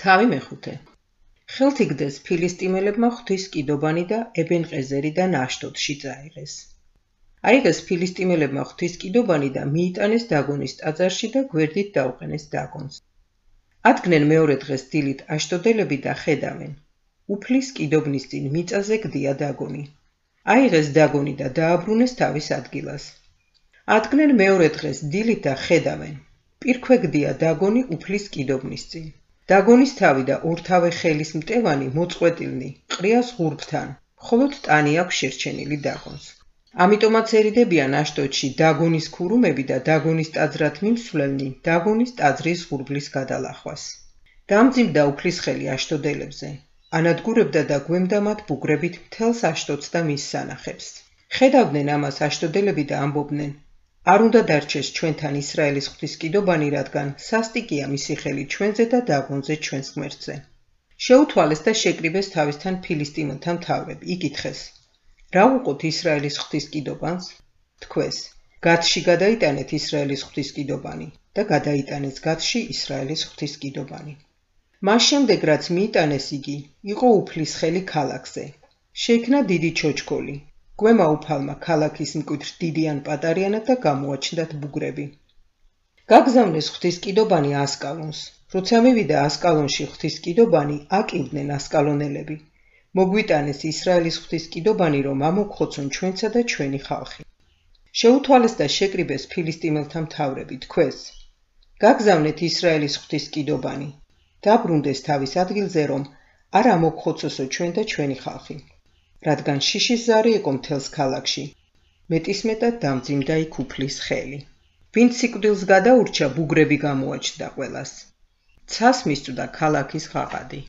თავი მეხუთე. ხელთ იგდეს ფილისტიმელებმა ღვთის კიდობანი და ებენ-ყეზერიდან აშდოდში წაიღეს. აიღეს ფილისტიმელებმა ღვთის კიდობანი და მიიტანეს დაგონის ტაძარში და გვერდით დაუყენეს დაგონს. ადგნენ მეორე დღეს დილით აშდოდელები და ხედავენ. უფლის კიდობნის წინ მიწაზე გდია დაგონი. აიღეს დაგონი და დააბრუნეს თავის ადგილას. ადგნენ მეორე დღეს დილით და ხედავენ. პირქვე გდია დაგონი უფლის კიდობნის წინ. დაგონის თავი და ორთავე ხელის მტევანი მოწყვეტილნი, ყრია ზღურბთან, მხოლოდ ტანი აქვს შერჩენილი დაგონს. ამიტომაც ერიდებიან აშდოდში დაგონის ქურუმები და დაგონის ტაძრად მიმსვლელნი დაგონის ტაძრის ზღურბლის გადალახვას. დამძიმდა უფლის ხელი აშდოდელებზე. ანადგურებდა და გვემდა მათ ბუგრებით მთელს აშდოდს და მის სანახებს. ხედავდნენ ამას აშდოდელები და ამბობდნენ: არ უნდა დარჩეს ჩვენთან ისრაელის ღვთის კიდობანი, რადგან სასტიკია მისი ხელი ჩვენზე და დაგონზე ჩვენს ღმერთზე. შეუთვალეს და შეკრიბეს თავისთან ფილისტიმელთა მთავრები. იკითხეს: რა უყოთ ისრაელის ღვთის კიდობანს? თქვეს: გათში გადაიტანეთ ისრაელის ღვთის კიდობანი და გადაიტანეს გათში ისრაელის ღვთის კიდობანი. მას შემდეგ რაც მიიტანეს იგი, იყო უფლის ხელი ქალაქზე. შეიქმნა დიდი ჩოჩქოლი. გვემა უფალმა ქალაქის მკვეთრ დიდი ან პატარიანად და გამოაჩნდათ ბუგრები. გაგზავნეს ღვთის კიდობანი ასკალონს. როცა მივიდა ასკალონში ღვთის კიდობანი, აკივდნენ ასკალონელები. მოგვიტანეს ისრაელის ღვთის კიდობანი, რომ ამოგხოცონ ჩვენსა და ჩვენი ხალხი. შეუთვალეს და შეკრიბეს ფილისტიმელთა მთავრები. თქვეს: გაგზავნეთ ისრაელის ღვთის კიდობანი. დაბრუნდეს თავის ადგილზე, რომ არ ამოგხოცოსო ჩვენ და ჩვენი ხალხი. რადგან შიშის ზარი იყო მთელს ქალაქში. მეტისმეტად დამძიმდა იქ უფლის ხელი. ვინც სიკვდილს გადაურჩა, ბუგრები გამოაჩნდა ყველას. ცას მისწვდა ქალაქის ღაღადი.